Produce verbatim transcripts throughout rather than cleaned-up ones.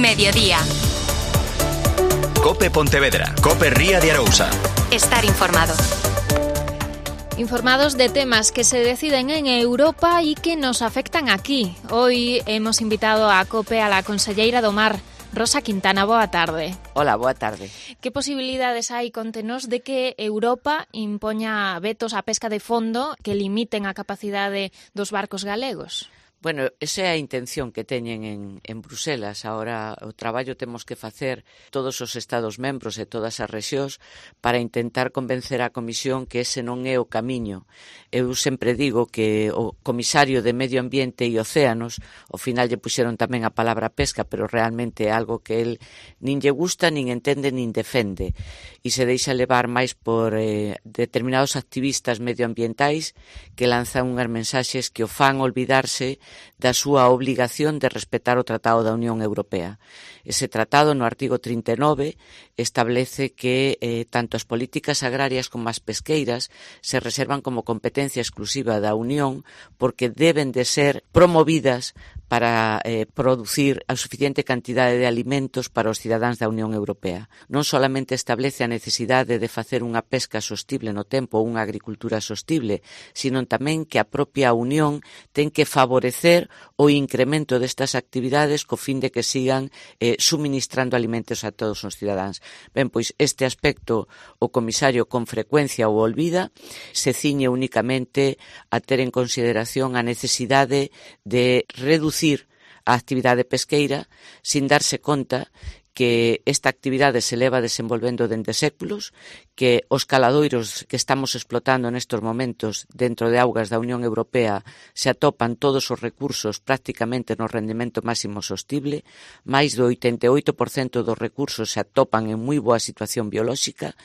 Mediodía. Cope Pontevedra, Cope Ría de Arousa. Estar informado. Informados de temas que se deciden en Europa y que nos afectan aquí. Hoy hemos invitado a COPE a la conselleira do Mar, Rosa Quintana. Boa tarde. Hola, boa tarde. Que posibilidades hai, contenos, de que Europa impoña vetos á pesca de fondo que limiten a capacidade dos barcos galegos? Bueno, esa é a intención que teñen en, en Bruselas. Ahora o traballo temos que facer todos os Estados membros e todas as rexións para intentar convencer a Comisión que ese non é o camiño. Eu sempre digo que o Comisario de Medio Ambiente e Océanos, ao final lle puxeron tamén a palabra pesca, pero realmente é algo que el nin lle gusta, nin entende, nin defende. E se deixa levar máis por eh, determinados activistas medioambientais que lanzan unhas mensaxes que o fan olvidarse da súa obligación de respetar o Tratado da Unión Europea. Ese tratado, no artigo trinta e nove, establece que eh, tanto as políticas agrarias como as pesqueiras se reservan como competencia exclusiva da Unión porque deben de ser promovidas para eh, producir a suficiente cantidade de alimentos para os cidadáns da Unión Europea. Non solamente establece a necesidade de facer unha pesca sostible no tempo ou unha agricultura sostible, sino tamén que a propia Unión ten que favorecer o incremento destas actividades co fin de que sigan eh, suministrando alimentos a todos os cidadáns. Ben, pois este aspecto o comisario con frecuencia o olvida, se ciñe únicamente a ter en consideración a necesidade de reducir a actividade pesqueira sin darse conta que esta actividade se leva desenvolvendo dende séculos, que os caladoiros que estamos explotando nestes momentos dentro de augas da Unión Europea se atopan todos os recursos prácticamente no rendimento máximo sostible, máis do oitenta e oito por cento dos recursos se atopan en moi boa situación biolóxica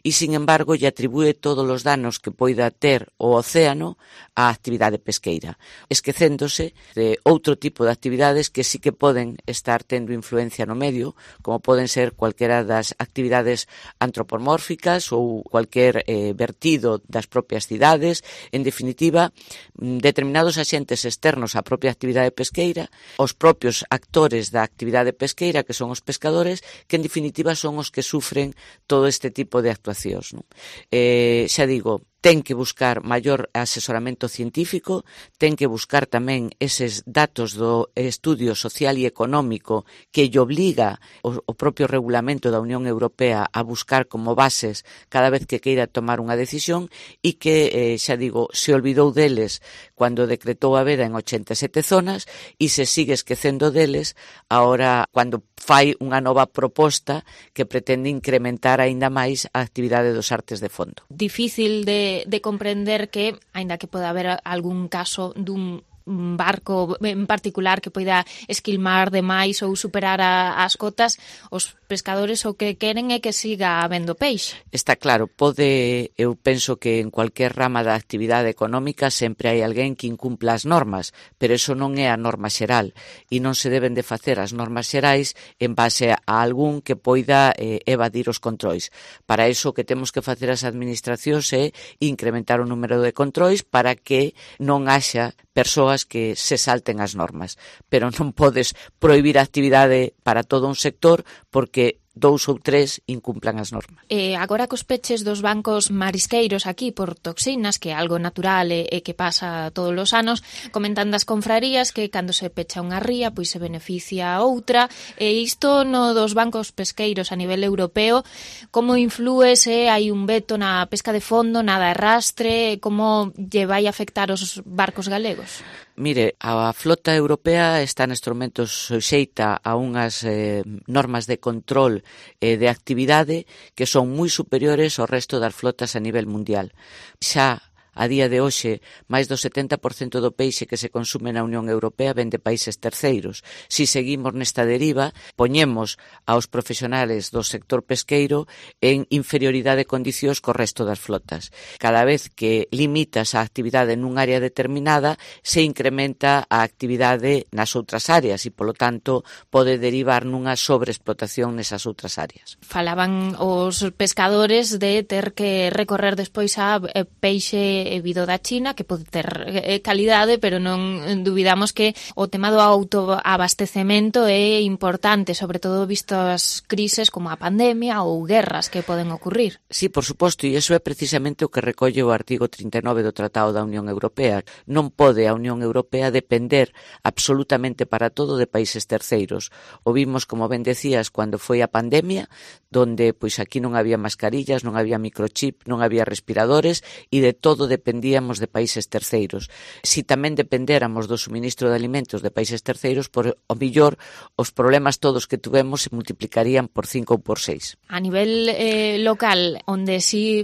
e, sin embargo, lle atribúe todos os danos que poida ter o océano á actividade pesqueira, esquecéndose de outro tipo de actividades que sí que poden estar tendo influencia no medio, como poden ser cualquera das actividades antropomórficas ou cualquier eh, vertido das propias cidades. En definitiva, determinados axentes externos á propia actividade pesqueira, os propios actores da actividade pesqueira, que son os pescadores, que en definitiva son os que sufren todo este tipo de actuacións, non? Eh, xa digo, ten que buscar maior asesoramento científico, ten que buscar tamén eses datos do estudio social e económico que lle obliga o, o propio regulamento da Unión Europea a buscar como bases cada vez que queira tomar unha decisión e que, eh, xa digo, se olvidou deles cando decretou a veda en ochenta e sete zonas e se sigue esquecendo deles agora cando fai unha nova proposta que pretende incrementar aínda máis a actividade dos artes de fondo. Difícil de de comprender que, aínda que poda haber algún caso dun barco en particular que poida esquilmar demais ou superar a, as cotas, os pescadores o que queren é que siga habendo peixe. Está claro, pode, eu penso que en cualquier rama da actividade económica sempre hai alguén que incumpla as normas, pero eso non é a norma xeral e non se deben de facer as normas xerais en base a algún que poida eh, evadir os controis. Para iso o que temos que facer as administracións é incrementar o número de controis para que non haxa persoas que se salten as normas, pero non podes prohibir a actividade para todo un sector porque dous ou tres incumplan as normas. E agora cos peches dos bancos marisqueiros aquí por toxinas, que é algo natural e, e que pasa todos os anos, comentan das confrarías que cando se pecha unha ría pois se beneficia a outra, e isto no dos bancos pesqueiros a nivel europeo, como inflúe se hai un veto na pesca de fondo, na de arrastre, como lle vai afectar os barcos galegos? Mire, a flota europea está nestes momentos suxeita a unhas eh, normas de control eh, de actividade que son moi superiores ao resto das flotas a nivel mundial. Xa a día de hoxe, máis do setenta por cento do peixe que se consume na Unión Europea ven de países terceiros. Si seguimos nesta deriva, poñemos aos profesionales do sector pesqueiro en inferioridade de condicións co resto das flotas. Cada vez que limitas a actividade nun área determinada, se incrementa a actividade nas outras áreas e, polo tanto, pode derivar nunha sobreexplotación nesas outras áreas. Falaban os pescadores de ter que recorrer despois a peixe é vido da China, que pode ter eh, calidade, pero non duvidamos que o tema do autoabastecemento é importante, sobre todo visto as crises como a pandemia ou guerras que poden ocurrir. Sí, por suposto, e iso é precisamente o que recolle o artigo trinta e nove do Tratado da Unión Europea. Non pode a Unión Europea depender absolutamente para todo de países terceiros. O vimos, como ben decías, cando foi a pandemia, donde pois aquí non había mascarillas, non había microchip, non había respiradores e de todo dependíamos de países terceiros. Si tamén dependéramos do suministro de alimentos de países terceiros, por o millor os problemas todos que tuvemos se multiplicarían por cinco ou por seis. A nivel eh, local, onde si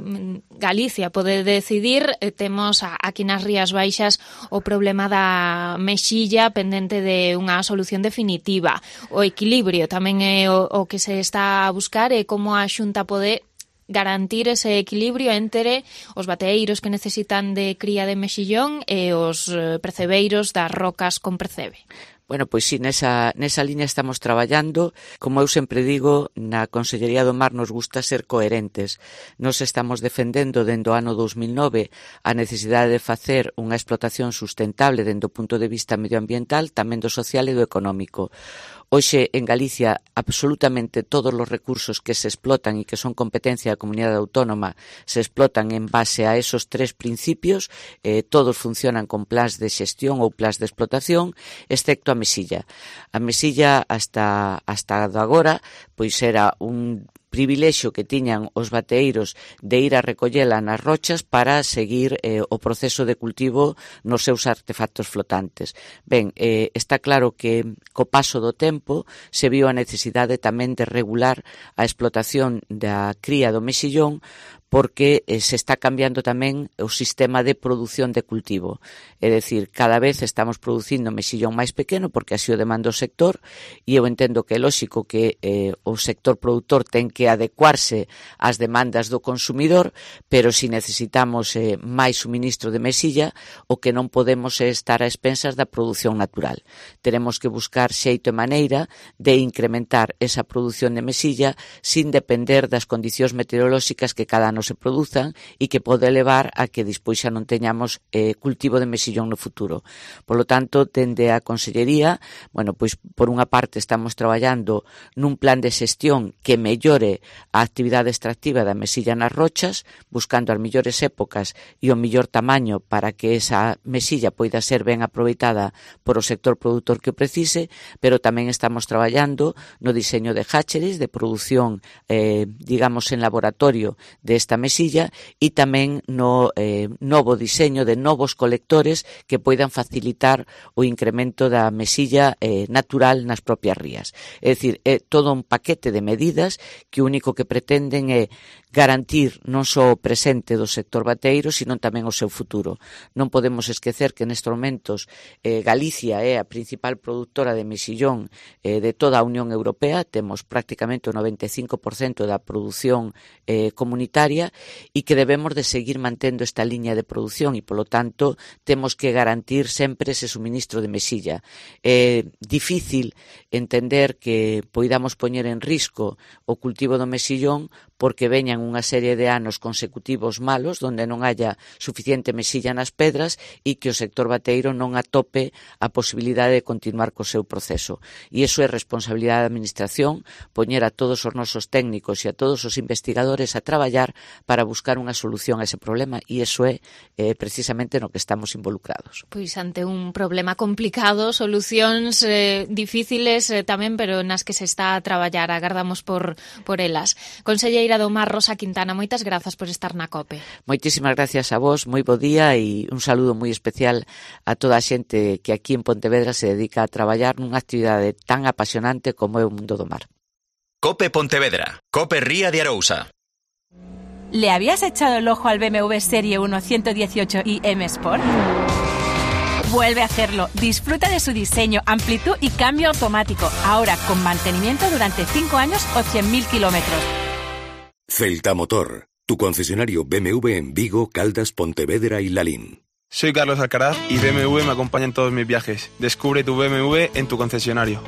Galicia pode decidir, eh, temos a, aquí nas Rías Baixas o problema da mexilla pendente de unha solución definitiva. O equilibrio tamén é o, o que se está a buscar e como a Xunta pode garantir ese equilibrio entre os bateeiros que necesitan de cría de mexillón e os percebeiros das rocas con percebe. Bueno, pois sí, nesa, nesa liña estamos traballando. Como eu sempre digo, na Consellería do Mar nos gusta ser coherentes. Nos estamos defendendo dende o ano dos mil nove a necesidade de facer unha explotación sustentable dende o punto de vista medioambiental, tamén do social e do económico. Hoxe, en Galicia, absolutamente todos os recursos que se explotan e que son competencia da comunidade autónoma se explotan en base a esos tres principios. Eh, todos funcionan con plans de xestión ou plans de explotación, excepto a mesilla. A mesilla, hasta, hasta agora, pois era un privilexio que tiñan os bateeiros de ir a recollela nas rochas para seguir eh, o proceso de cultivo nos seus artefactos flotantes. Ben, eh, está claro que co paso do tempo se viu a necesidade tamén de regular a explotación da cría do mexillón, porque eh, se está cambiando tamén o sistema de produción de cultivo. É dicir, cada vez estamos producindo mexillón máis pequeno porque así o demanda o sector, e eu entendo que é lóxico que eh, o sector produtor ten que adecuarse ás demandas do consumidor, pero si necesitamos eh, máis suministro de mexilla, o que non podemos é estar a expensas da produción natural. Teremos que buscar xeito e maneira de incrementar esa produción de mexilla sin depender das condicións meteorolóxicas que cada ano se produzan e que pode levar a que despois xa non teñamos eh, cultivo de mexillón no futuro. Por lo tanto, dende a Consellería, bueno, pois por unha parte estamos traballando nun plan de xestión que mellore a actividade extractiva da mexilla nas rochas, buscando as mellores épocas e o mellor tamaño para que esa mexilla poida ser ben aproveitada por o sector produtor que o precise, pero tamén estamos traballando no diseño de hatcheries, de produción, eh, digamos, en laboratorio de esta mesilla, e tamén no eh, novo diseño de novos colectores que poidan facilitar o incremento da mesilla eh, natural nas propias rías. É dicir, é todo un paquete de medidas que o único que pretenden é garantir non só o presente do sector bateiro, sino tamén o seu futuro. Non podemos esquecer que nestes momentos eh, Galicia é a principal produtora de mexillón eh, de toda a Unión Europea. Temos prácticamente o noventa e cinco por cento da produción eh, comunitaria, e que debemos de seguir mantendo esta liña de produción e, polo tanto, temos que garantir sempre ese suministro de mexilla. É difícil entender que poidamos poñer en risco o cultivo do mexillón porque veñan unha serie de anos consecutivos malos donde non haya suficiente mexilla nas pedras e que o sector bateiro non atope a posibilidade de continuar co seu proceso. E iso é responsabilidade da Administración, poñer a todos os nosos técnicos e a todos os investigadores a traballar para buscar unha solución a ese problema, e iso é eh, precisamente no que estamos involucrados. Pois ante un problema complicado, solucións eh, difíciles eh, tamén, pero nas que se está a traballar, agardamos por, por elas. Conselleira do Mar, Rosa Quintana, moitas grazas por estar na COPE. Moitísimas gracias a vos, moi bo día e un saludo moi especial a toda a xente que aquí en Pontevedra se dedica a traballar nunha actividade tan apasionante como é o mundo do mar. COPE Pontevedra, COPE Ría de Arousa. ¿Le habías echado el ojo al B M W Serie uno ciento dieciocho i M Sport? Vuelve a hacerlo. Disfruta de su diseño, amplitud y cambio automático. Ahora con mantenimiento durante cinco años o cien mil kilómetros. Celta Motor, tu concesionario B M W en Vigo, Caldas, Pontevedra y Lalín. Soy Carlos Alcaraz y B M W me acompaña en todos mis viajes. Descubre tu B M W en tu concesionario.